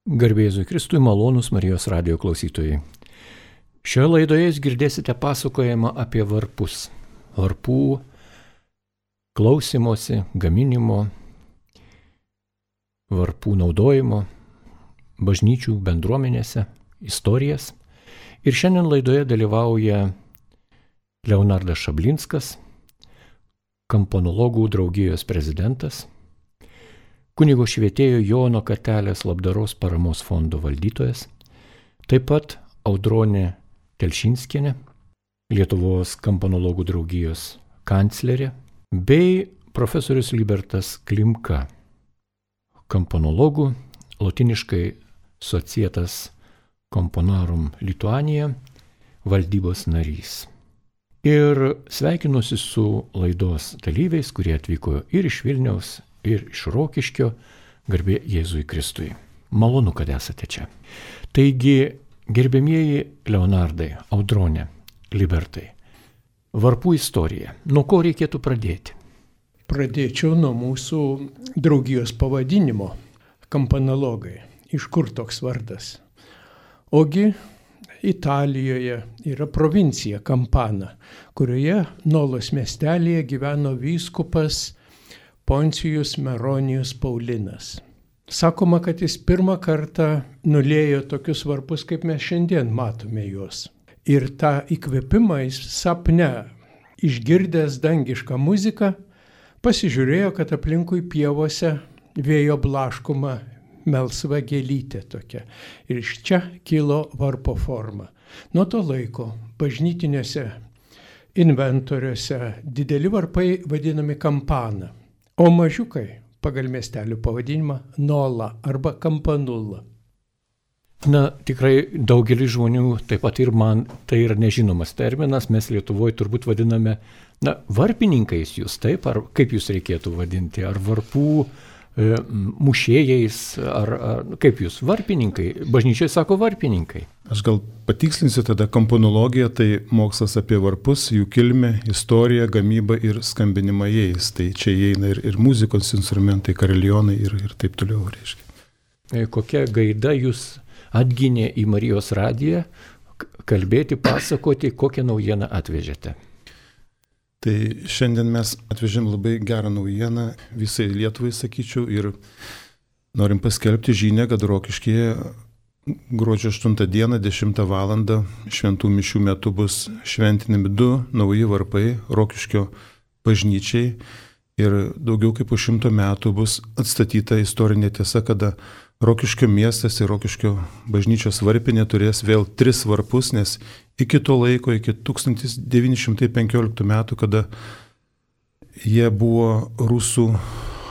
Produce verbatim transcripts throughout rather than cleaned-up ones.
Garbė Jėzui Kristui, malonūs Marijos radijo klausytojai. Šioje laidoje jūs girdėsite pasakojimą apie varpus. Varpų klausimosi, gaminimo, varpų naudojimo, bažnyčių bendruomenėse, istorijas. Ir šiandien laidoje dalyvauja Leonardas Šablinskas, Kamponologų draugijos prezidentas, kunigo švietėjo Jono Kartelės labdaros paramos fondo valdytojas, taip pat Audronė Telšinskienė, Lietuvos Kamponologų draugijos kanclerė, bei profesorius Libertas Klimka, kamponologų, lotiniškai Societas Componarum Lituania, valdybos narys. Ir sveikinuosi su laidos dalyviais, kurie atvyko ir iš Vilniaus, ir iš Rokiškio, garbė Jėzui Kristui. Malonu, kad esate čia. Taigi, gerbėmieji Leonardai, Audronė, Libertai, varpų istorija. Nuo ko reikėtų pradėti? Pradėčiau nuo mūsų draugijos pavadinimo – Kamponologai. Iš kur toks vardas? Ogi Italijoje yra provincija Kampana, kurioje Nolos miestelėje gyveno vyskupas Poncijus Meronijus Paulinas. Sakoma, kad jis pirmą kartą nuliejo tokius varpus, kaip mes šiandien matome juos. Ir tą įkvėpimą jis sapne, išgirdęs dangišką muziką, pasižiūrėjo, kad aplinkui pievose vėjo blaškoma melsva gėlytė tokia. Ir iš čia kilo varpo forma. Nuo to laiko bažnytiniuose inventoriuose dideli varpai vadinami kampana, o mažiukai pagal miestelių pavadinimą Nola arba Kampanula. Na, tikrai daugelis žmonių, taip pat ir man, tai yra nežinomas terminas, mes Lietuvoje turbūt vadiname, na, varpininkais jūs, taip, ar kaip jūs reikėtų vadinti, ar varpų e, mušėjais, ar, ar kaip jūs, varpininkai, bažnyčiai sako varpininkai. Aš gal patikslinsiu tada, kamponologija tai mokslas apie varpus, jų kilmę, istoriją, gamybą ir skambinimą jais. Tai čia įeina ir, ir muzikos instrumentai, karelionai ir, ir taip toliau, reiškia. Kokia gaida jūs atginė į Marijos radiją kalbėti, pasakoti, kokią naujieną atvežėte? Tai šiandien mes atvežėm labai gerą naujieną visai Lietuvai, sakyčiau, ir norim paskelbti žinią, kad Rokiškyje gruodžio aštuntą dieną, dešimtą valandą šventų mišių metu bus šventinami du nauji varpai Rokiškio bažnyčiai ir daugiau kaip po šimto metų bus atstatyta istorinė tiesa, kada Rokiškio miestas ir Rokiškio bažnyčios varpinė turės vėl tris varpus, nes iki to laiko, iki tūkstantis devyni šimtai penkioliktų metų, kada jie buvo rusų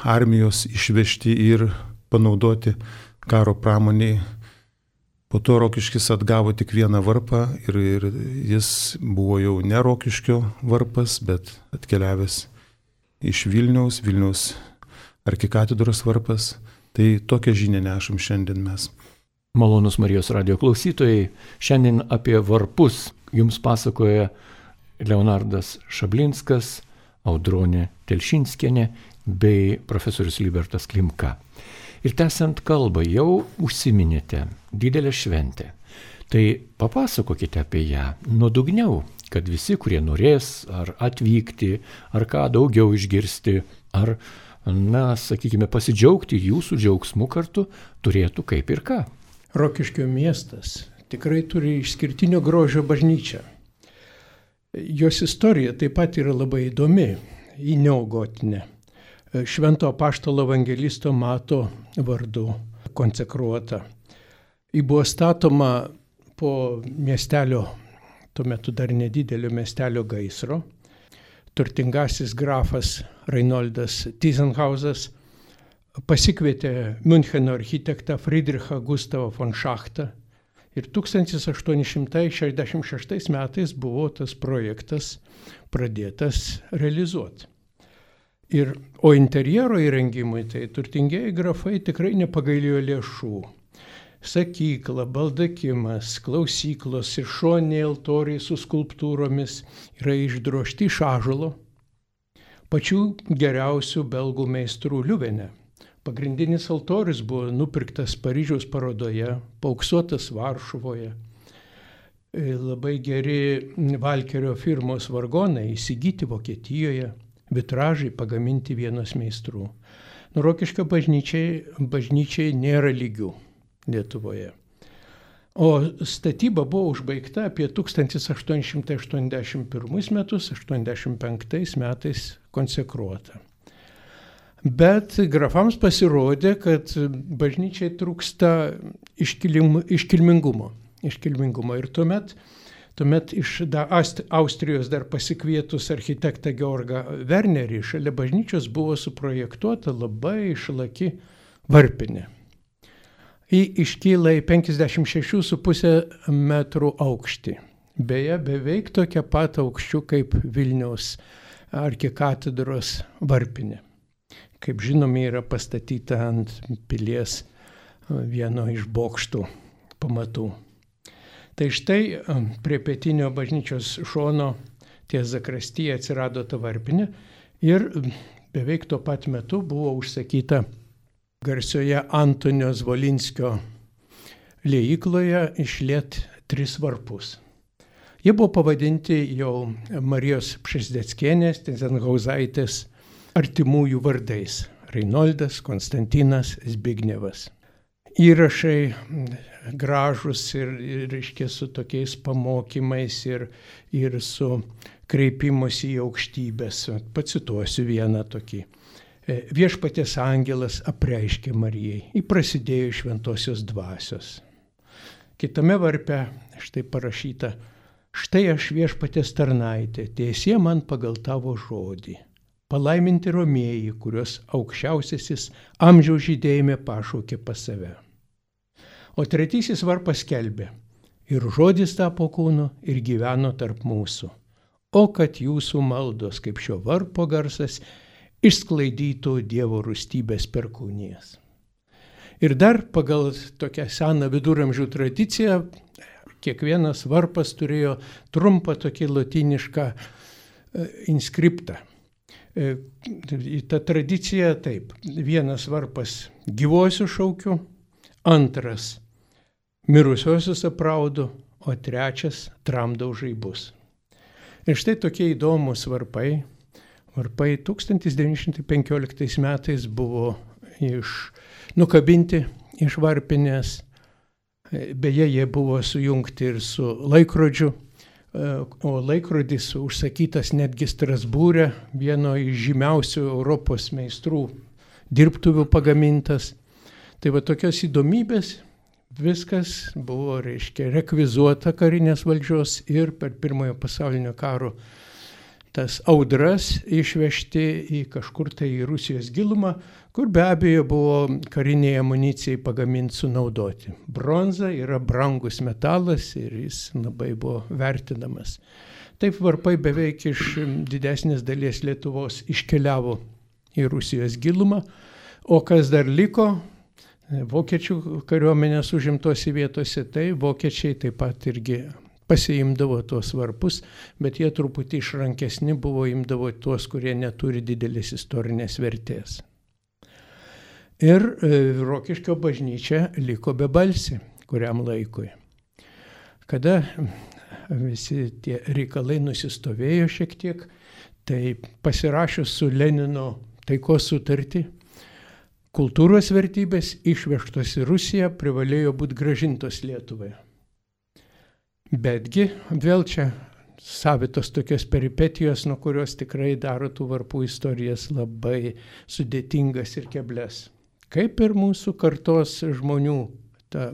armijos išvežti ir panaudoti karo pramoniai, po to Rokiškis atgavo tik vieną varpą ir, ir jis buvo jau ne Rokiškio varpas, bet atkeliavęs iš Vilniaus, Vilniaus arkikatedros varpas. Tai tokią žinią nešam šiandien mes. Malonus Marijos radijo klausytojai, šiandien apie varpus jums pasakoja Leonardas Šablinskas, Audronė Telšinskienė bei profesorius Libertas Klimka. Ir tęsiant kalbą, jau užsiminėte didelę šventę. Tai papasakokite apie ją nuodugniau, kad visi, kurie norės ar atvykti, ar ką daugiau išgirsti, ar, na, sakykime, pasidžiaugti jūsų džiaugsmu kartu, turėtų kaip ir ką. Rokiškio miestas tikrai turi išskirtinio grožio bažnyčią. Jos istorija taip pat yra labai įdomi, ji neogotinė. Švento apaštalo evangelisto Mato vardu konsekruota. Ji buvo statoma po miestelio, tuo metu dar nedidelio miestelio gaisro. Turtingasis grafas Reinoldas Tyzenhauzas pasikvietė Müncheno architektą Friedrichą Gustavą von Schachtą ir tūkstantis aštuoni šimtai šešiasdešimt šeštais metais buvo tas projektas pradėtas realizuoti. Ir, o interjero įrengimui tai turtingieji grafai tikrai nepagailėjo lėšų. Sakykla, baldakimas, klausyklos ir šoniniai altoriai su skulptūromis yra išdrožti iš ąžuolo, pačių geriausių belgų meistrų Liuvene. Pagrindinis altorius buvo nupirktas Paryžiaus parodoje, paauksuotas Varšuvoje. Labai geri Valkerio firmos vargonai įsigyti Vokietijoje, vitražai pagaminti vienos meistrų. Rokiškio bažnyčiai, bažnyčiai nėra lygių Lietuvoje. O statyba buvo užbaigta apie tūkstantis aštuoni šimtai aštuoniasdešimt pirmus metus, aštuoniasdešimt penktais metais konsekruota. Bet grafams pasirodė, kad bažnyčiai trūksta iškilim, iškilmingumo. iškilmingumo. Ir tuomet, tuomet iš da, Austrijos dar pasikvietus architektą Georgą Wernerį šalia bažnyčios buvo suprojektuota labai išlaki varpinė. Ji iškyla į penkiasdešimt šeši su puse metrų aukštį. Beje, beveik tokia pat aukščių kaip Vilniaus arkikatedros varpinė. Kaip žinome, yra pastatyta ant pilies vieno iš bokštų pamatų. Tai štai prie pietinio bažnyčios šono ties zakristyje atsirado ta varpinė ir beveik tuo pat metu buvo užsakyta garsioje Antonio Zvolinskio liejykloje išliet tris varpus. Jie buvo pavadinti jau Marijos Pšezdeckienės, Tyzenhauzaitės artimųjų vardais – Reinoldas, Konstantinas, Zbignevas. Įrašai gražus ir, ir reiškia, su tokiais pamokymais ir, ir su kreipimusi į aukštybės. Pacituosiu vieną tokį. Viešpaties angelas apreiškė Marijai, įprasidėjo šventosios dvasios. Kitame varpe štai parašyta: štai aš viešpaties tarnaitė, tiesie man pagal tavo žodį. Palaiminti romieji, kurios aukščiausiasis amžiaus žydėjime pašaukė pas save. O tretysis varpas skelbė: ir žodis tapo kūnu ir gyveno tarp mūsų. O kad jūsų maldos, kaip šio varpo garsas, išsklaidytų Dievo rūstybės perkūnijas. Ir dar pagal tokią seną viduramžių tradiciją, kiekvienas varpas turėjo trumpą tokį lotynišką inskriptą. Ta tradicija taip: vienas varpas gyvuosius šaukiu, antras mirusiosius apraudu, o trečias tramdau žaibus. Ir štai tokie įdomus varpai. Varpai tūkstantis devyni šimtai penkioliktais metais buvo iš, nukabinti iš varpinės. Beje, jie buvo sujungti ir su laikrodžiu. O laikrodis užsakytas netgi Strasbūre, vieno iš žymiausių Europos meistrų dirbtuvių pagamintas. Tai va tokios įdomybės, viskas buvo, reiškia, rekvizuota karinės valdžios ir per pirmojo pasaulinio karo tas audras išvežti į kažkur tai į Rusijos gilumą, kur be abejo buvo kariniai amunicijai pagaminti sunaudoti. Bronza yra brangus metalas ir jis labai buvo vertinamas. Taip varpai beveik iš didesnės dalies Lietuvos iškeliavo į Rusijos gilumą, o kas dar liko, vokiečių kariuomenės užimtose vietose, tai vokiečiai taip pat irgi pasiimdavo tuos varpus, bet jie truputį išrankesni buvo, imdavo tuos, kurie neturi didelės istorinės vertės. Ir Rokiškio bažnyčia liko bebalsi kuriam laikui. Kada visi tie reikalai nusistovėjo šiek tiek, tai pasirašius su Lenino taikos sutartį, kultūros vertybės išvežtos į Rusiją privalėjo būti grąžintos Lietuvai. Betgi vėl čia savitos tokios peripetijos, nuo kurios tikrai daro tų varpų istorijas labai sudėtingas ir keblias. Kaip ir mūsų kartos žmonių ta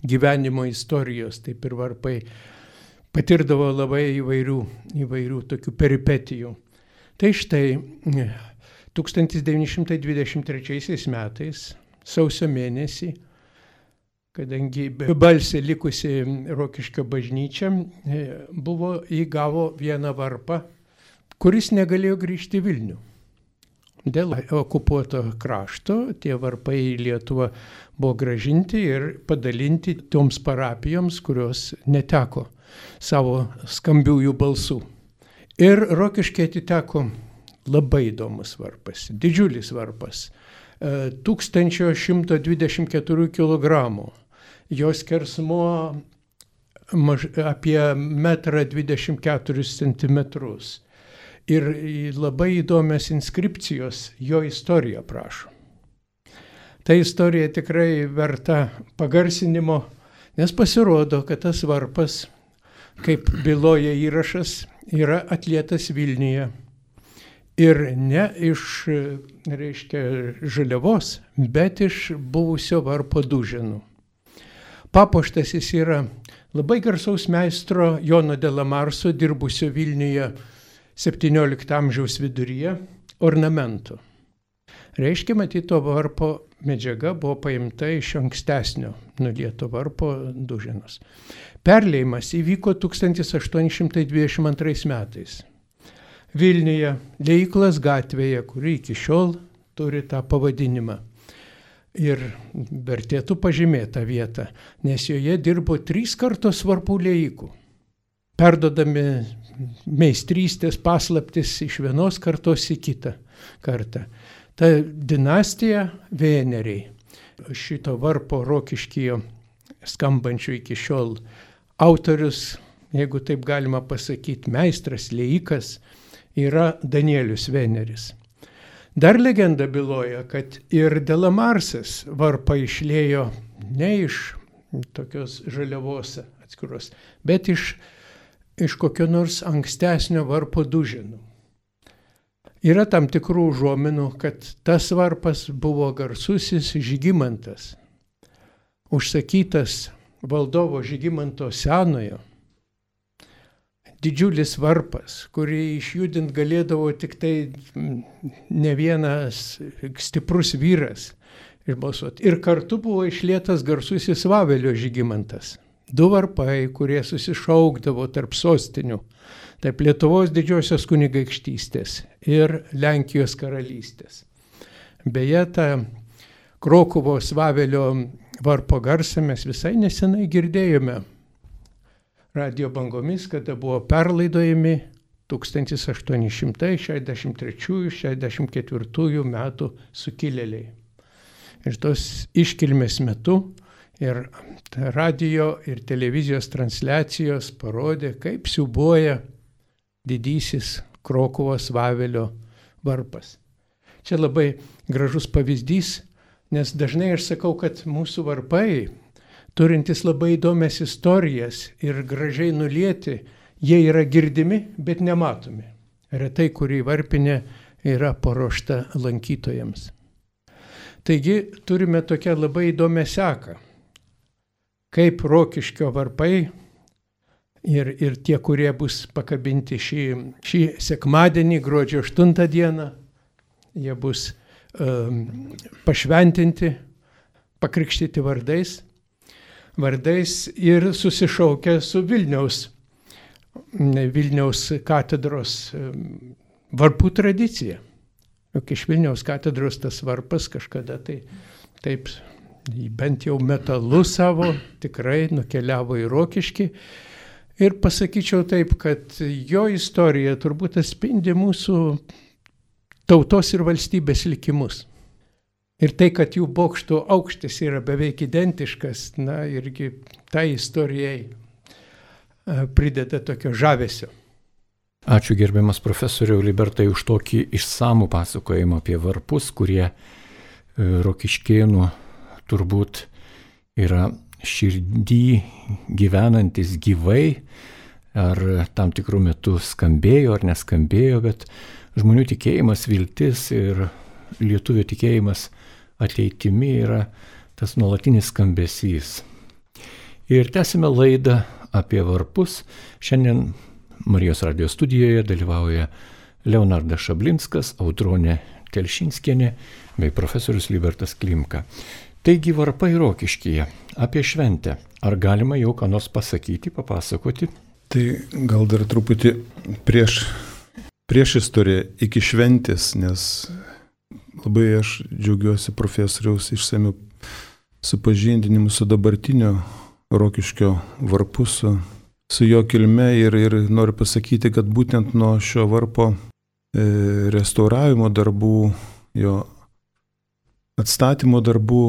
gyvenimo istorijos, taip ir varpai patirdavo labai įvairių, įvairių tokių peripetijų. Tai štai tūkstantis devyni šimtai dvidešimt trečiaisiais metais, sausio mėnesį, kadangi bebalsė likusi Rokiškio bažnyčia, buvo įgavo vieną varpą, kuris negalėjo grįžti į Vilnių. Dėl okupuoto krašto tie varpai į Lietuvą buvo grąžinti ir padalinti toms parapijoms, kurios neteko savo skambiųjų balsų. Ir Rokiškiai atiteko labai įdomus varpas, didžiulis varpas. tūkstantis šimtas dvidešimt keturi kilogramų. Jos skersmuo maž, apie metrą dvidešimt keturis centimetrus. Ir labai įdomios inskripcijos jo istoriją prašo. Ta istorija tikrai verta pagarsinimo, nes pasirodo, kad tas varpas, kaip byloja įrašas, yra atlietas Vilniuje. Ir ne iš, reiškia, žaliavos, bet iš buvusio varpo duženų. Papuoštas jis yra labai garsaus meistro Jono de la Marso, dirbusio Vilniuje septyniolikto amžiaus viduryje, ornamentų. Reiškia, matyti, to varpo medžiaga buvo paimta iš ankstesnio nulieto varpo duženos. Perleimas įvyko tūkstantis aštuoni šimtai dvidešimt antrais metais. Vilniuje, Liejyklos gatvėje, kuri iki šiol turi tą pavadinimą. Ir vertėtų pažymėti tą vietą, nes joje dirbo trys kartos varpų liejikų. Perdodami meistrystės paslaptis iš vienos kartos į kitą kartą. Ta dinastija Vėneriai, šito varpo Rokiškyje skambančių iki šiol autorius, jeigu taip galima pasakyti, meistras, liejikas, yra Danielius Vėneris. Dar legenda byloja, kad ir de la Marsas varpą išliejo ne iš tokios žaliavos atskiros, bet iš, iš kokio nors ankstesnio varpo duženų. Yra tam tikrų užuominų, kad tas varpas buvo garsusis Žygimantas, užsakytas valdovo Žygimanto Senojo. Didžiulis varpas, kurį išjudint galėdavo tik tai ne vienas stiprus vyras išbalsuoti. Ir kartu buvo išlietas garsusis Vavelio Žygimantas. Du varpai, kurie susišaukdavo tarp sostinių, tarp Lietuvos didžiosios kunigaikštystės ir Lenkijos karalystės. Beje, tą Krokuvos Vavelio varpo garsą mes visai nesenai girdėjome radio bangomis, kada buvo perlaidojami tūkstantis aštuoni šimtai šešiasdešimt trečiųjų šešiasdešimt ketvirtųjų metų sukilėliai. Ir tos iškilmės metu ir radio ir televizijos transliacijos parodė, kaip siūbuoja didysis Krokuvos Vavelio varpas. Čia labai gražus pavyzdys, nes dažnai aš sakau, kad mūsų varpai, turintis labai įdomias istorijas ir gražiai nulieti, jie yra girdimi, bet nematomi. Retai, kurį varpinė yra paruošta lankytojams. Taigi turime tokią labai įdomią seką, kaip Rokiškio varpai ir, ir tie, kurie bus pakabinti šį, šį sekmadienį, gruodžio aštuntą dieną, jie bus um, pašventinti, pakrikštyti vardais. vardais ir susišaukia su Vilniaus, Vilniaus katedros varpų tradicija. Juk iš Vilniaus katedros tas varpas kažkada tai taip, bent jau metalu savo, tikrai nukeliavo į Rokiškį. Ir pasakyčiau taip, kad jo istorija turbūt atspindi mūsų tautos ir valstybės likimus. Ir tai, kad jų bokštų aukštis yra beveik identiškas, na, irgi tai istorijai prideda tokio žavesio. Ačiū gerbiamas profesoriau Libertai už tokį išsamų pasakojimą apie varpus, kurie Rokiškėnų turbūt yra širdį gyvenantis gyvai, ar tam tikrų metų skambėjo ar neskambėjo, bet žmonių tikėjimas, viltis ir lietuvio tikėjimas ateitimi yra tas nuolatinis skambesys. Ir tęsime laidą apie varpus. Šiandien Marijos radijo studijoje dalyvauja Leonardas Šablinskas, Audronė Telšinskienė bei profesorius Libertas Klimka. Taigi varpai Rokiškyje, apie šventę. Ar galima jau ką nors pasakyti, papasakoti? Tai gal dar truputį prieš, prieš istoriją iki šventės, nes labai aš džiaugiuosi profesoriaus išsamiu supažindinimu su dabartinio Rokiškio varpu, su, su jo kilme ir, ir noriu pasakyti, kad būtent nuo šio varpo e, restauravimo darbų, jo atstatymo darbų.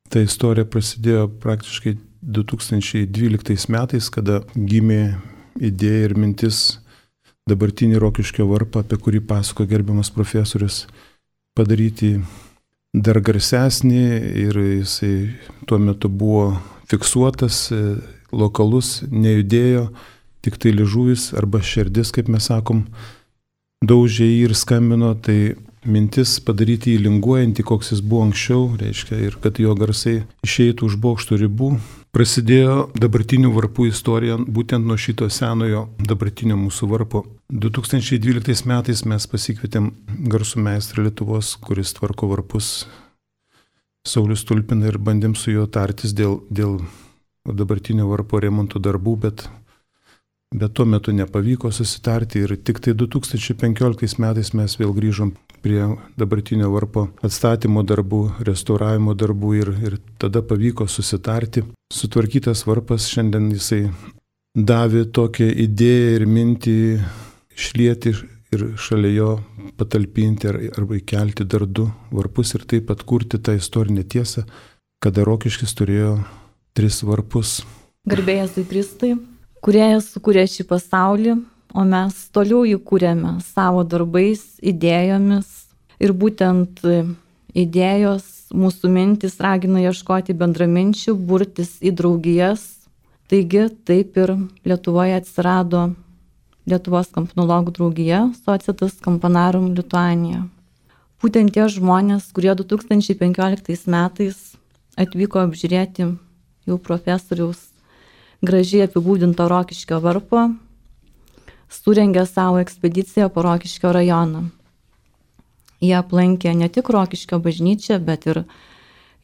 Ta istorija prasidėjo praktiškai du tūkstančiai dvyliktais metais, kada gimė idėja ir mintis dabartinį Rokiškio varpą, apie kurį pasako gerbiamas profesorius, padaryti dar garsesnį, ir jisai tuo metu buvo fiksuotas, lokalus, nejudėjo, tik tai liežuvis arba širdis, kaip mes sakom, daužė jį ir skambino. Tai mintis padaryti jį linguojantį, koks jis buvo anksčiau, reiškia, ir kad jo garsai išeitų už bokšto ribų. Prasidėjo dabartinių varpų istorija būtent nuo šito senojo dabartinio mūsų varpo. du tūkstančiai dvyliktais metais mes pasikvietėm garsų meistrą Lietuvos, kuris tvarko varpus, Saulius Tulpina, ir bandėm su juo tartis dėl, dėl dabartinio varpo remonto darbų, bet, bet tuo metu nepavyko susitarti, ir tik tai du tūkstančiai penkioliktais metais mes vėl grįžom prie dabartinio varpo atstatymo darbų, restauravimo darbų, ir, ir tada pavyko susitarti. Sutvarkytas varpas šiandien jisai davė tokią idėją ir mintį išlieti ir šalia jo patalpinti arba įkelti dar du varpus ir taip atkurti tą istorinę tiesą, kada Rokiškis turėjo tris varpus. Garbėjas į Kristui, Kūrėjas sukūrė šį pasaulį, o mes toliau jį kūrėme savo darbais, idėjomis, ir būtent idėjos, mūsų mintis ragina ieškoti bendraminčių, burtis į draugijas. Taigi taip ir Lietuvoje atsirado Lietuvos kampanologų draugija Societas Campanarum Lituania. Būtent tie žmonės, kurie du tūkstančiai penkioliktais metais atvyko apžiūrėti jau profesoriaus gražiai apibūdinto Rokiškio varpo, surengė savo ekspediciją po Rokiškio rajoną. Jie aplankė ne tik Rokiškio bažnyčią, bet ir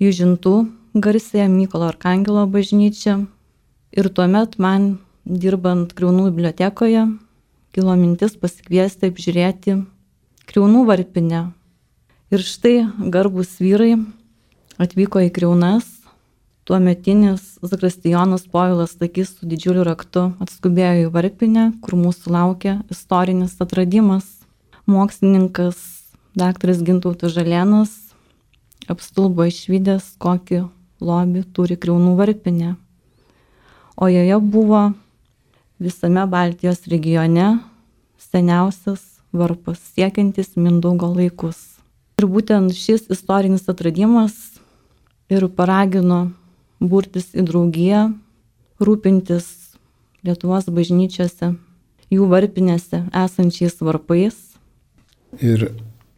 Jūžintų garsėją Mykolo Arkangelo bažnyčią. Ir tuomet man, dirbant Kriaunų bibliotekoje, kilo mintis pasikviesti apžiūrėti Kriaunų varpinę. Ir štai garbūs vyrai atvyko į Kriaunas. Tuometinis zakristijonas Povilas Stakys su didžiuliu raktu atskubėjo į varpinę, kur mūsų laukia istorinis atradimas. Mokslininkas daktaras Gintautas Žalėnas apstulbo išvydęs, kokį lobį turi Kriaunų varpinė. O joje buvo visame Baltijos regione seniausias varpas, siekiantis Mindaugo laikus. Ir būtent šis istorinis atradimas ir paragino burtis į draugiją, rūpintis Lietuvos bažnyčiose, jų varpinėse esančiais varpais. Ir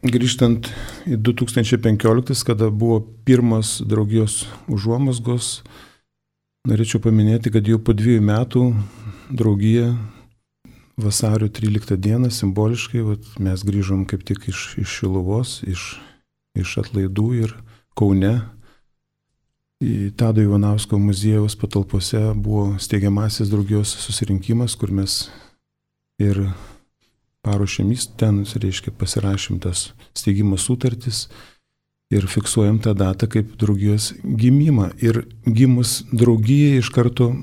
grįžtant į du tūkstančiai penkioliktais, kada buvo pirmas draugijos užuomazgos, norėčiau paminėti, kad jau po dviejų metų draugija vasario tryliktą dieną simboliškai, vat, mes grįžom kaip tik iš, iš Šiluvos, iš, iš atlaidų, ir Kaune į Tado Ivanausko muziejaus patalpose buvo steigiamasis draugijos susirinkimas, kur mes ir paruošėm ten, reiškia, pasirašėm tas steigimo sutartis ir fiksuojam tą datą kaip draugijos gimimą. Ir gimus draugijai iš karto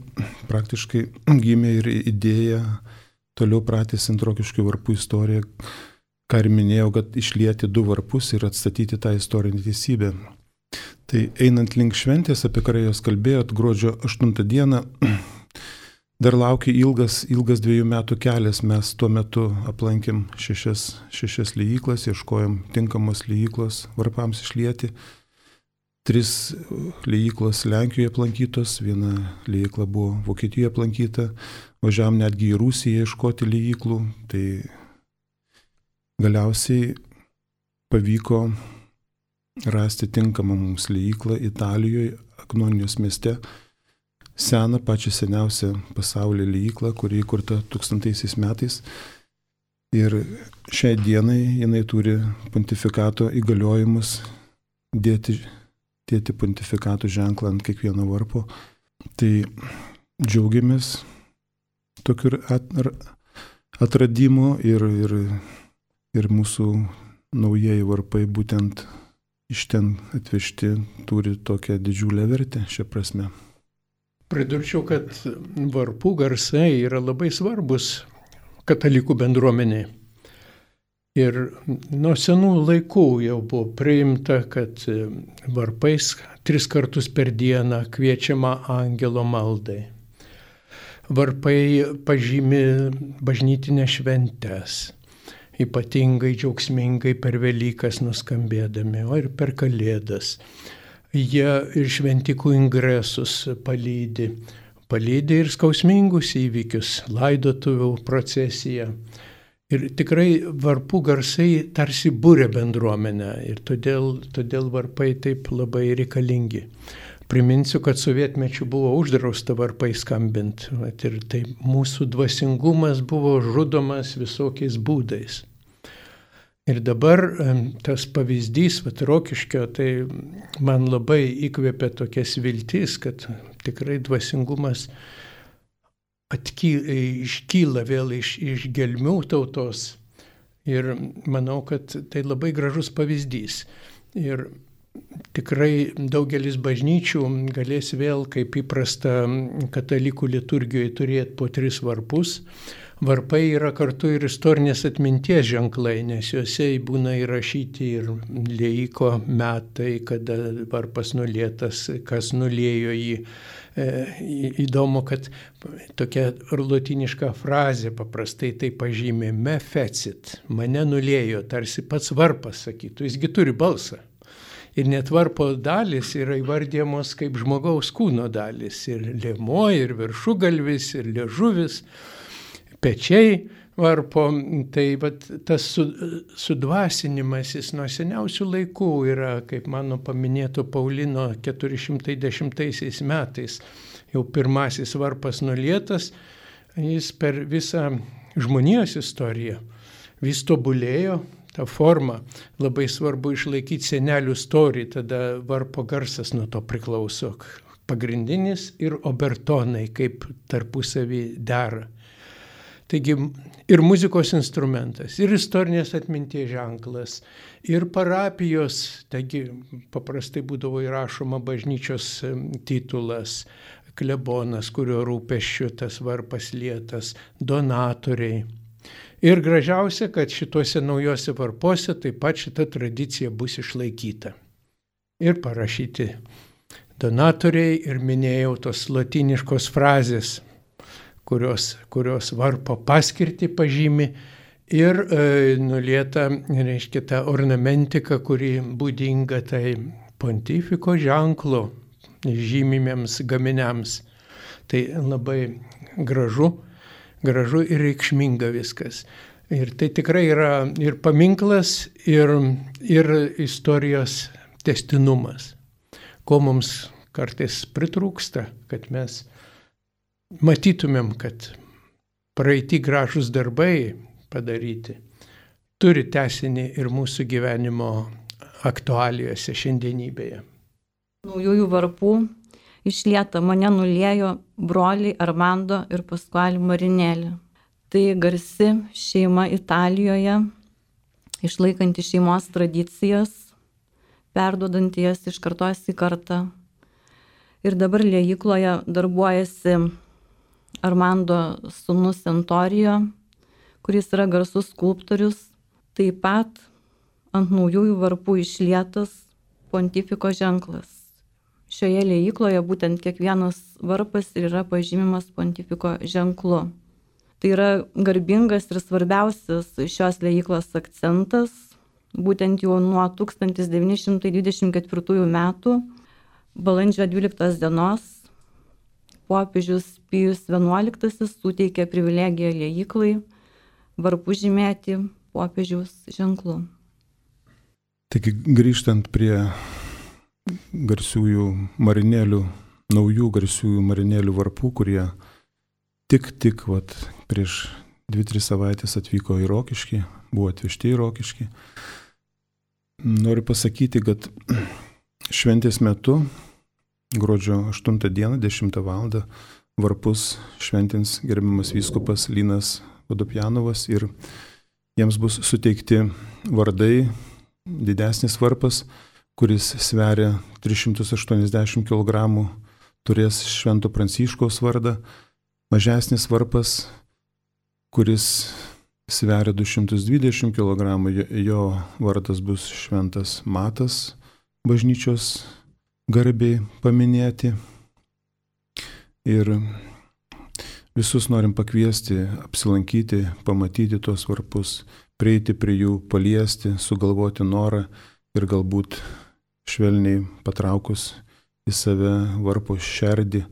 praktiškai gimė ir idėja toliau pratęsiant Rokiškio varpų istoriją, ką ir minėjau, kad išlieti du varpus ir atstatyti tą istorinę teisybę. Tai einant link šventės, apie kurią jūs kalbėjot, gruodžio aštuntą dieną, dar laukia ilgas, ilgas dviejų metų kelias. Mes tuo metu aplankėm šešias, šešias liejyklas, ieškojom tinkamos liejyklos varpams išlieti. Tris liejyklos Lenkijoje aplankytos, viena liejykla buvo Vokietijoje aplankyta, važiavom netgi į Rusiją ieškoti liejyklų. Tai galiausiai pavyko rasti tinkamą mums liejyklą Italijoje, Agnonijos mieste, seną, pačią seniausią pasaulyje liejyklą, kuri įkurta tūkstantaisiais metais. Ir šiai dienai jinai turi pontifikato įgaliojimus dėti, dėti pontifikato ženklą ant kiekvieno varpo. Tai džiaugiamės tokiu atradimu ir, ir, ir mūsų naujieji varpai būtent iš ten atvežti turi tokią didžiulę vertę šią prasme. Pridurčiau, kad varpų garsai yra labai svarbus katalikų bendruomeniai. Ir nuo senų laikų jau buvo priimta, kad varpais tris kartus per dieną kviečiama angelo maldai. Varpai pažymi bažnytinės šventes, ypatingai džiaugsmingai per Velykas nuskambėdami, o ir per Kalėdas. Jie ir šventikų ingresus palydi, palydi ir skausmingus įvykius, laidotuvių procesiją. Ir tikrai varpų garsai tarsi būrė bendruomenę ir todėl, todėl varpai taip labai reikalingi. Priminsiu, kad sovietmečiu buvo uždrausta varpai skambint ir tai mūsų dvasingumas buvo žudomas visokiais būdais. Ir dabar tas pavyzdys, vat Rokiškio, tai man labai įkvėpė tokias viltis, kad tikrai dvasingumas atkyla, iškyla vėl iš, iš gelmių tautos. Ir manau, kad tai labai gražus pavyzdys. Ir tikrai daugelis bažnyčių galės vėl, kaip įprasta katalikų liturgijoje, turėti po tris varpus. Varpai yra kartu ir istorinės atminties ženklai, nes juose būna įrašyti ir liejiko metai, kada varpas nulietas, kas nuliejo jį. E, įdomu, kad tokia lotyniška frazė paprastai tai pažymė me fecit, mane nuliejo, tarsi pats varpas sakytų, jisgi turi balsą. Ir net varpo dalis yra įvardyjamos kaip žmogaus kūno dalis, ir lėmuo, ir viršugalvis, ir liežuvis, pečiai varpo. Tai vat, tas sudvasinimas jis nuo seniausių laikų yra, kaip mano paminėto Paulino keturi šimtai dešimtaisiais metais, jau pirmasis varpas nulietas, jis per visą žmonijos istoriją vis tobulėjo. Ta forma labai svarbu išlaikyti senelių storį, tada varpo garsas nuo to priklauso. Pagrindinis ir obertonai, kaip tarpusavį dera. Taigi ir muzikos instrumentas, ir istorinės atminties ženklas, ir parapijos, taigi paprastai būdavo įrašoma bažnyčios titulas, klebonas, kurio rūpesčiu tas varpas lietas, donatoriai. Ir gražiausia, kad šituose naujose varpuose taip pat šita tradicija bus išlaikyta. Ir parašyti donatoriai, ir minėjau tos lotyniškos frazės, kurios, kurios varpo paskirtį pažymi, ir e, nulieta, reiškia, ta ornamentika, kuri būdinga tai pontifiko ženklo žymimiems gaminiams. Tai labai gražu. Gražu ir reikšminga viskas. Ir tai tikrai yra ir paminklas, ir, ir istorijos tęstinumas, ko mums kartais pritrūksta, kad mes matytumėm, kad praeiti gražus darbai padaryti turi tęsinį ir mūsų gyvenimo aktualijose šiandienybėje. Naujųjų varpų išlieta mane nuliejo broliai Armando ir Pasquale Marinelli. Tai garsi šeima Italijoje, išlaikanti šeimos tradicijas, perduodanti jas iš kartos į kartą. Ir dabar liejykloje darbuojasi Armando sūnus Entorijo, kuris yra garsus skulptorius. Taip pat ant naujųjų varpų išlietas pontifiko ženklas. Šioje liejykloje būtent kiekvienas varpas yra pažymimas pontifiko ženklu. Tai yra garbingas ir svarbiausias šios liejyklos akcentas. Būtent jau nuo tūkstantis devyni šimtai dvidešimt ketvirtųjų metų, balandžio dvyliktos dienos, popiežius Pijus vienuoliktasis suteikė privilegiją liejiklai varpų žymėti popiežiaus ženklu. Taigi grįžtant prie garsiųjų marinėlių, naujų garsiųjų marinėlių varpų, kurie tik, tik vat, prieš dvi tris savaitės atvyko į Rokiškį, buvo atvežti į Rokiškį. Noriu pasakyti, kad šventės metu, gruodžio aštuntą dieną, dešimtą valandą, varpus šventins gerbiamas vyskupas Linas Vodopjanovas ir jiems bus suteikti vardai. Didesnis varpas, kuris sveria tris šimtus aštuoniasdešimt kilogramų, turės Švento Pranciškaus vardą. Mažesnis varpas, kuris sveria du šimtus dvidešimt kilogramų, jo vardas bus Šventas Matas, bažnyčios garbiai paminėti. Ir visus norim pakviesti, apsilankyti, pamatyti tuos varpus, prieiti prie jų, paliesti, sugalvoti norą ir galbūt švelniai patraukus į save varpo šerdį,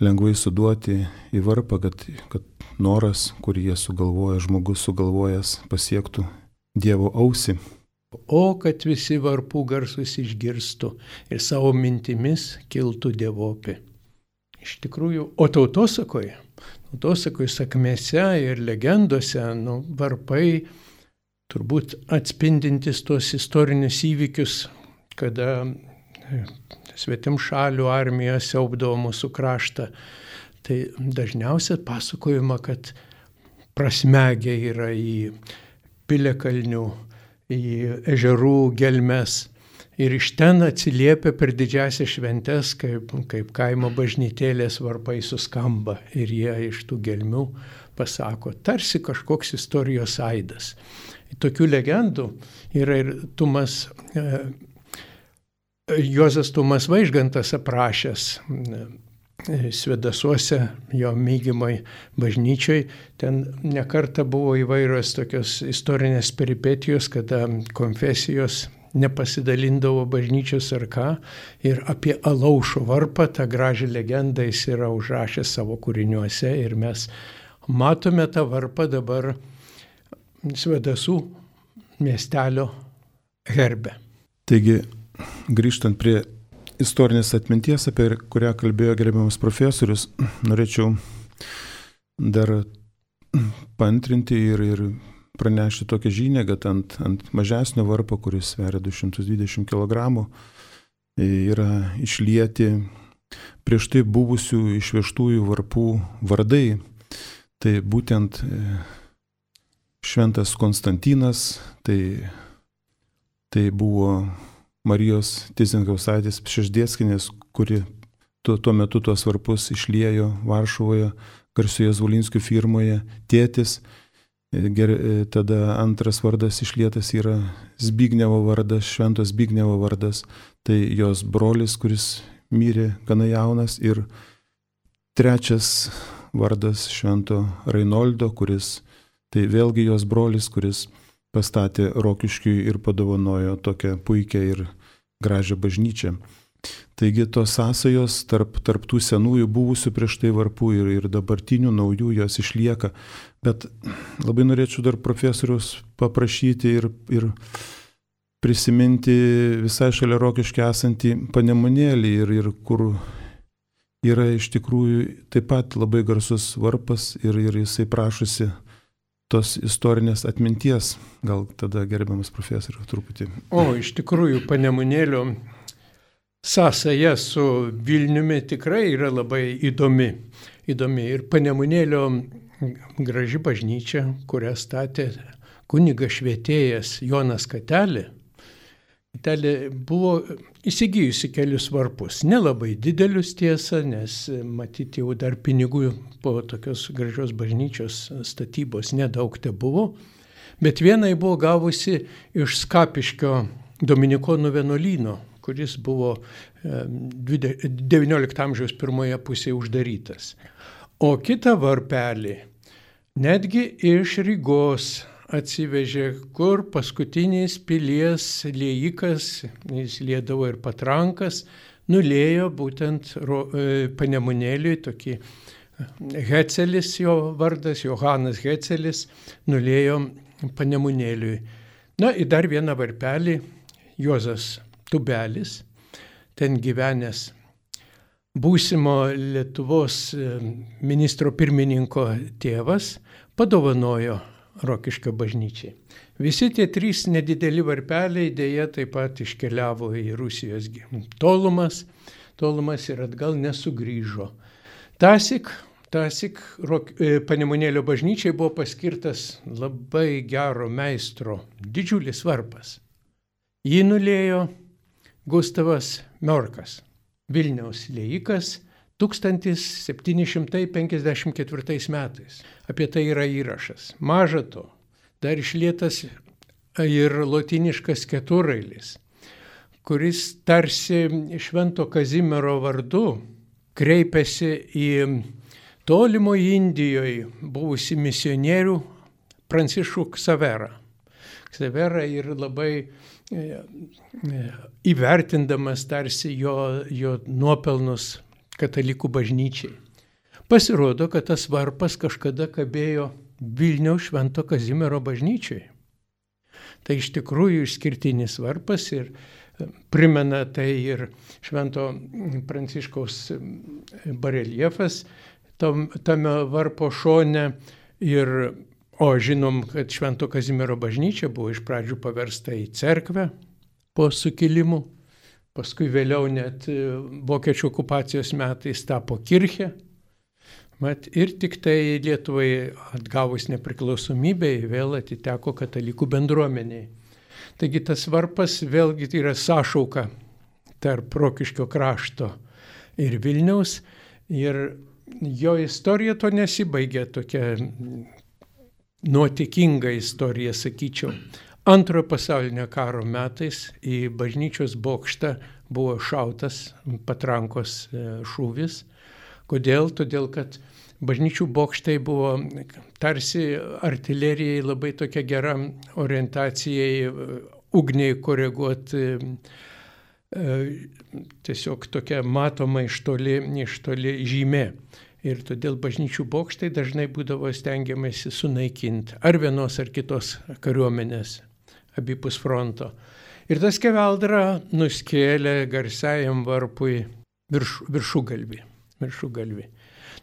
lengvai suduoti į varpą, kad, kad noras, kurį jie sugalvoja, žmogus sugalvojęs, pasiektų Dievo ausį. O kad visi varpų garsus išgirstų ir savo mintimis kiltų dievopė. Iš tikrųjų, o tautosakoje, tautosakoje sakmėse ir legendose, nu, varpai turbūt atspindintis tos istorinius įvykius, kada svetimšalių armija siaubdavo mūsų kraštą. Tai dažniausiai pasakojama, kad prasmegę yra į piliakalnių, į ežerų gelmes. Ir iš ten atsiliepia per didžiasias šventes, kaip, kaip kaimo bažnytėlės varpai suskamba. Ir jie iš tų gelmių pasako, tarsi kažkoks istorijos aidas. Tokių legendų yra ir Tumas, e, Juozas Tumas Vaižgantas aprašęs e, Svedasuose, jo mygimoj bažnyčioj. Ten nekarta buvo įvairios tokios istorinės peripetijos, kada konfesijos nepasidalindavo bažnyčios ar ką. Ir apie Alaušo varpą tą gražią legendą jis yra užrašęs savo kūriniuose. Ir mes matome tą varpą dabar Svedasų miestelio herbe. Taigi, grįžtant prie istorinės atminties, apie kurią kalbėjo gerbiamas profesorius, norėčiau dar paantrinti ir, ir pranešti tokią žinią, kad ant, ant mažesnio varpo, kuris sveria du šimtus dvidešimt kilogramų, yra išlieti prieš tai buvusių išvežtųjų varpų vardai. Tai būtent Šventas Konstantinas, tai, tai buvo Marijos Tyzenhausaitės Pšeždėckienės, kuri tuo, tuo metu tuos varpus išliejo Varšuvoje, garsioje Zvolinskių firmoje, tėtis. Ger, tada antras vardas išlietas yra Zbignevo vardas, Šventos Zbignevo vardas, tai jos brolis, kuris mirė gana jaunas, ir trečias vardas Švento Reinoldo, kuris, tai vėlgi jos brolis, kuris pastatė Rokiškiui ir padovanojo tokią puikią ir gražią bažnyčią. Taigi tos sąsajos tarp, tarp tų senųjų buvusių prieš tai varpų ir, ir dabartinių naujų jos išlieka. Bet labai norėčiau dar profesorius paprašyti ir, ir prisiminti visai šalia Rokiškio esantį Panemunėlį, ir, ir kur yra iš tikrųjų taip pat labai garsus varpas ir, ir jisai prašosi tos istorinės atminties. Gal tada gerbiamas profesorius truputį. O, iš tikrųjų, Panemunėlio sąsaja su Vilniumi tikrai yra labai įdomi. įdomi. Ir Panemunėlio graži bažnyčia, kurią statė kunigas švietėjas Jonas Katelė, Katelė buvo įsigijusi kelius varpus. Nelabai didelius tiesa, nes matyti jau dar pinigų po tokios gražios bažnyčios statybos nedaug te buvo. Bet vienai buvo gavusi iš Skapiškio dominikonų vienuolyno, kuris buvo devyniolikto amžiaus pirmoje pusėje uždarytas. O kitą varpelį netgi iš Rygos atsivežė, kur paskutinis pilies liejikas, jis liedavo ir patrankas, nulėjo būtent Panemunėliui, tokį Hecelis jo vardas, Johanas Hecelis, nulėjo Panemunėliui. Na, į dar vieną varpelį Juozas Tubelis, ten gyvenęs būsimo Lietuvos ministro pirmininko tėvas, padovanojo Rokiškio bažnyčiai. Visi tie trys nedideli varpeliai dėja taip pat iškeliavo į Rusijos tolumas, tolumas ir atgal nesugrįžo. Tąsyk, tąsyk Panemunėlio bažnyčiai buvo paskirtas labai gero meistro didžiulis varpas. Jį nulėjo Gustavas Miorkas, Vilniaus liejikas, tūkstantis septyni šimtai penkiasdešimt ketvirtais metais. Apie tai yra įrašas. Maža to, dar išlietas ir lotyniškas keturrailis, kuris tarsi Švento Kazimiero vardu kreipiasi į tolimo Indijoje buvusi misionierių Pranciškų Ksaverą. Ksavera ir labai įvertindamas tarsi jo, jo nuopelnus katalikų bažnyčiai. Pasirodo, kad tas varpas kažkada kabėjo Vilniaus Švento Kazimiero bažnyčiai. Tai iš tikrųjų išskirtinis varpas ir primena tai ir Švento Pranciškaus bareljefas tam, tame varpo šone. Ir, o žinom, kad Švento Kazimiero bažnyčia buvo iš pradžių paversta į cerkvę po sukilimų. Paskui vėliau net vokiečių okupacijos metais tapo kirchė. Mat, ir tik tai Lietuvai atgavus nepriklausomybę vėl atiteko katalikų bendruomeniai. Taigi tas varpas vėlgi yra sąšauka tarp Rokiškio krašto ir Vilniaus. Ir jo istorija to nesibaigia, tokia nuotykinga istorija, sakyčiau. Antrojo pasaulinio karo metais į bažnyčios bokštą buvo šautas patrankos šūvis. Kodėl? Todėl, kad bažnyčių bokštai buvo tarsi artilerijai labai tokia gera orientacijai, ugniai koreguoti, tiesiog tokia matoma iš toli, iš toli žymė. Ir todėl bažnyčių bokštai dažnai būdavo stengiamasi sunaikinti ar vienos ar kitos kariuomenės abipus fronto. Ir tas skeveldra nuskėlė garsiajam varpui virš, viršugalvį, viršugalvį.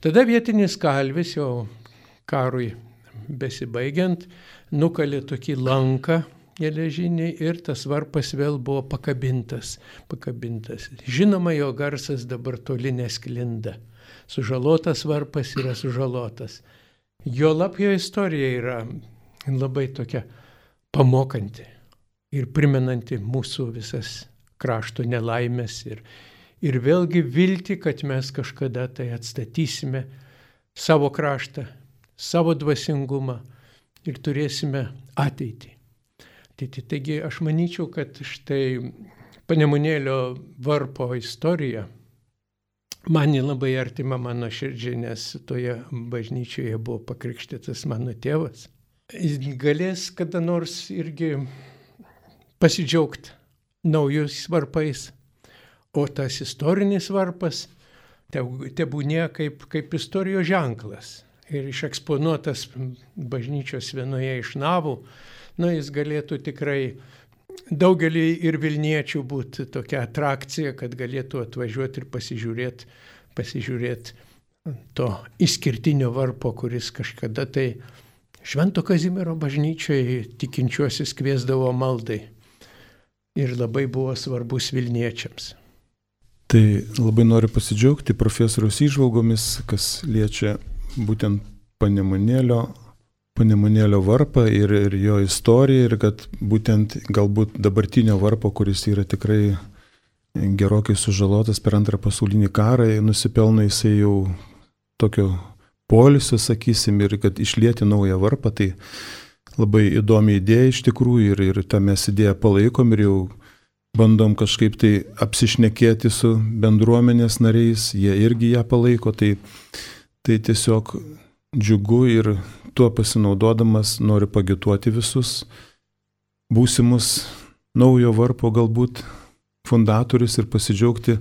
Tada vietinis kalvis, jau karui besibaigiant, nukalė tokį lanką geležinį ir tas varpas vėl buvo pakabintas, pakabintas. Žinoma, jo garsas dabar toli nesklinda. Sužalotas varpas yra sužalotas. Jo lab jo istorija yra labai tokia pamokanti ir primenanti mūsų visas krašto nelaimės ir, ir vėlgi viltį, kad mes kažkada tai atstatysime savo kraštą, savo dvasingumą ir turėsime ateitį. Taigi aš manyčiau, kad štai Panemunėlio varpo istorija man labai artima mano širdžiai, nes toje bažnyčioje buvo pakrikštytas mano tėvas. Jis galės kada nors irgi pasidžiaugti naujus varpais, o tas istorinis varpas tebūnie kaip, kaip istorijos ženklas ir išeksponuotas bažnyčios vienoje iš navų. Na, jis galėtų tikrai daugelį ir Vilniečių būti tokia atrakcija, kad galėtų atvažiuoti ir pasižiūrėti, pasižiūrėti to išskirtinio varpo, kuris kažkada tai Švento Kazimiero bažnyčioje tikinčiuosius kviesdavo maldai ir labai buvo svarbus Vilniečiams. Tai labai noriu pasidžiaugti profesoriaus įžvalgomis, kas liečia būtent Panemunėlio Panemunėlio varpą ir, ir jo istoriją, ir kad būtent galbūt dabartinio varpo, kuris yra tikrai gerokai sužalotas per antrą pasaulinį karą, nusipelno jisai jau tokio poilsio, sakysim, ir kad išlieti naują varpą, tai labai įdomi idėja iš tikrųjų ir, ir tą mes idėją palaikom ir jau bandom kažkaip tai apsišnekėti su bendruomenės nariais, jie irgi ją palaiko, tai, tai tiesiog džiugu ir tuo pasinaudodamas noriu pagituoti visus būsimus naujo varpo galbūt fundatorius ir pasidžiaugti,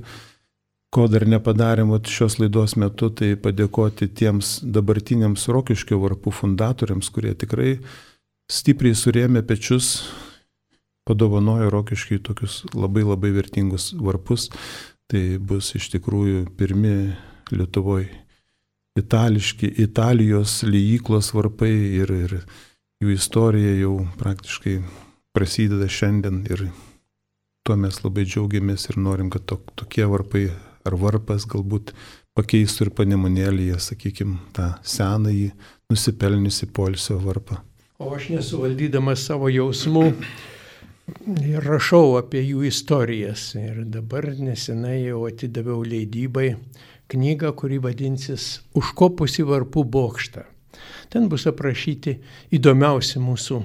ko dar nepadarėm šios laidos metu, tai padėkoti tiems dabartiniams Rokiškio varpų fundatoriams, kurie tikrai stipriai surėmė pečius, padovanojo Rokiškiui tokius labai labai vertingus varpus. Tai bus iš tikrųjų pirmi Lietuvoje itališki, Italijos liejyklos varpai ir, ir jų istorija jau praktiškai prasideda šiandien ir tuo mes labai džiaugiamės ir norim, kad to, tokie varpai ar varpas galbūt pakeistų ir Panemunėlyje, sakykime, tą senąjį nusipelniusi poilsio varpą. O aš nesuvaldydamas savo jausmų ir rašau apie jų istorijas ir dabar nesenai jau atidaviau leidybai knygą, kuri vadinsis Užkopus į varpų bokštą. Ten bus aprašyti įdomiausi mūsų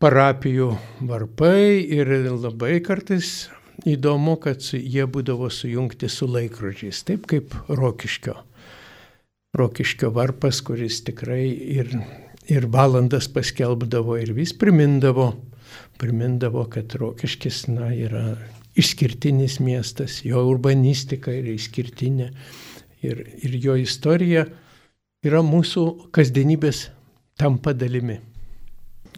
parapijų varpai ir labai kartais įdomu, kad jie būdavo sujungti su laikrodžiais, taip kaip Rokiškio. Rokiškio varpas, kuris tikrai ir, ir valandas paskelbdavo ir vis primindavo, primindavo, kad Rokiškis na, yra išskirtinis miestas, jo urbanistika yra išskirtinė ir, ir jo istorija yra mūsų kasdienybės tampa dalimi.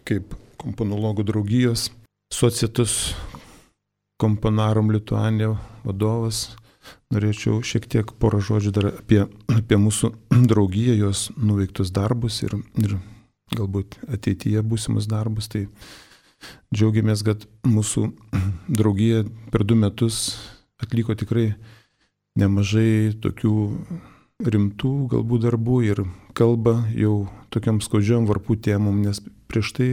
Kaip komponologų draugijos Societus Komponarum Lituania vadovas, norėčiau šiek tiek porą žodžių dar apie, apie mūsų draugiją, jos nuveiktus darbus ir, ir galbūt ateityje būsimus darbus. Tai džiaugiamės, kad mūsų draugija per du metus atliko tikrai nemažai tokių rimtų galbūt darbų ir kalba jau tokiam skaudžiom varpų temom, nes prieš tai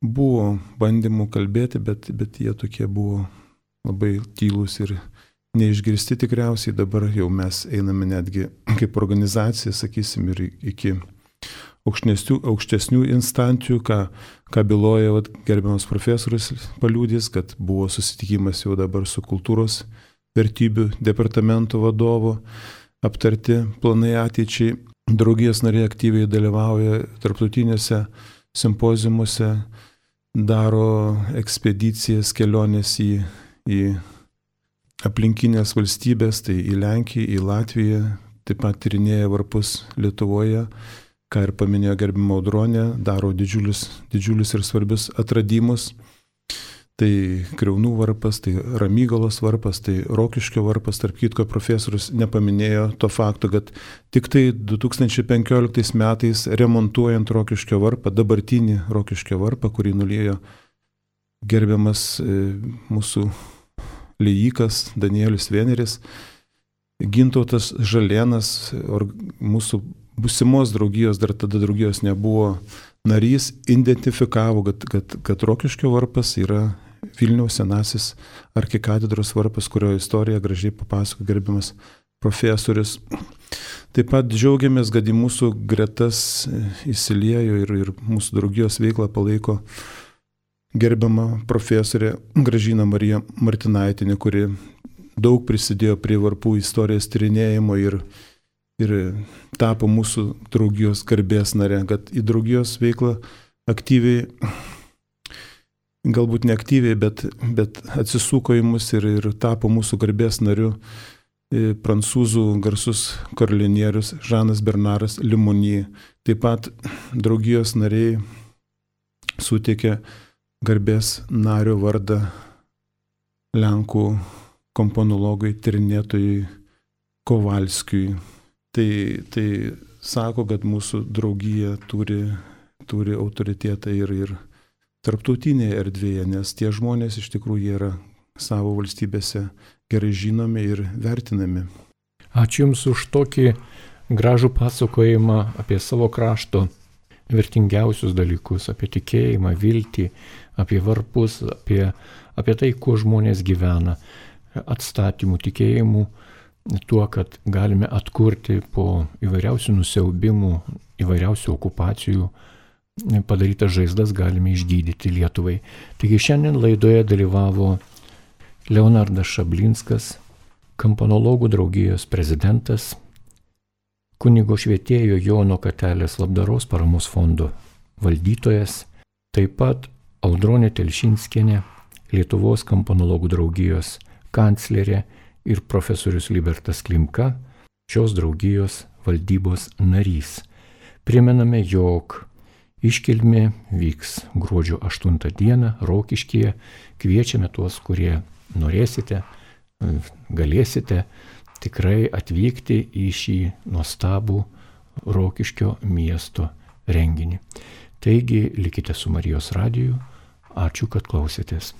buvo bandymų kalbėti, bet, bet jie tokie buvo labai tylūs ir neišgirsti tikriausiai. Dabar jau mes einame netgi kaip organizacija, sakysim, ir iki aukštesnių, aukštesnių instancijų, ką, ką byloja vat, gerbiamas profesorius paliudys, kad buvo susitikimas jau dabar su kultūros vertybių departamento vadovu, aptarti planai ateičiai. Draugijos nariai aktyviai dalyvauja tarptautinėse simpoziumuose, daro ekspedicijas, kelionės į, į aplinkinės valstybės, tai į Lenkiją, į Latviją, taip pat tyrinėja varpus Lietuvoje, ką ir paminėjo gerbima Audronė, daro didžiulius, didžiulius ir svarbius atradimus. Tai Kriaunų varpas, tai Ramygalos varpas, tai Rokiškio varpas. Tarp kitko profesorius nepaminėjo to fakto, kad tik tai du tūkstančiai penkioliktais metais remontuojant Rokiškio varpą, dabartinį Rokiškio varpą, kurį nuliejo gerbiamas e, mūsų liejikas Danielius Veneris, Gintautas Žalėnas, or, mūsų būsimos draugijos, dar tada draugijos nebuvo narys, identifikavo, kad, kad, kad Rokiškio varpas yra Vilniaus senasis arkikatedros varpas, kurio istoriją gražiai papasako gerbiamas profesorius. Taip pat džiaugiamės, kad į mūsų gretas įsiliejo ir, ir mūsų draugijos veiklą palaiko gerbiama profesorė Gražina Marija Martinaitinė, kuri daug prisidėjo prie varpų istorijos tyrinėjimo ir ir tapo mūsų draugijos garbės nare, kad į draugijos veiklą aktyviai, galbūt ne aktyviai, bet, bet atsisuko į mus ir, ir tapo mūsų garbės nariu prancūzų garsus karalionierius Žanas Bernaras Limoni. Taip pat draugijos nariai suteikė garbės nario vardą Lenkų komponologui, tyrinėtojui Kovalskiui. Tai, tai sako, kad mūsų draugija turi, turi autoritetą ir, ir tarptautinėje erdvėje, nes tie žmonės iš tikrųjų yra savo valstybėse gerai žinomi ir vertinami. Ačiū Jums už tokį gražų pasakojimą apie savo krašto vertingiausius dalykus, apie tikėjimą, viltį, apie varpus, apie, apie tai, kuo žmonės gyvena, atstatymų, tikėjimų, tuo, kad galime atkurti po įvairiausių nusiaubimų, įvairiausių okupacijų, padarytas žaizdas galime išgydyti Lietuvai. Taigi šiandien laidoje dalyvavo Leonardas Šablinskas, Komponologų draugijos prezidentas, kunigo švietėjo Jono Katelės labdaros paramos fondo valdytojas, taip pat Audronė Telšinskienė, Lietuvos Komponologų draugijos kanclerė ir profesorius Libertas Klimka, šios draugijos valdybos narys. Primename, jog iškilmė vyks gruodžio aštuntą dieną Rokiškyje. Kviečiame tuos, kurie norėsite, galėsite tikrai atvykti į šį nuostabų Rokiškio miesto renginį. Taigi likite su Marijos radiju. Ačiū, kad klausėtės.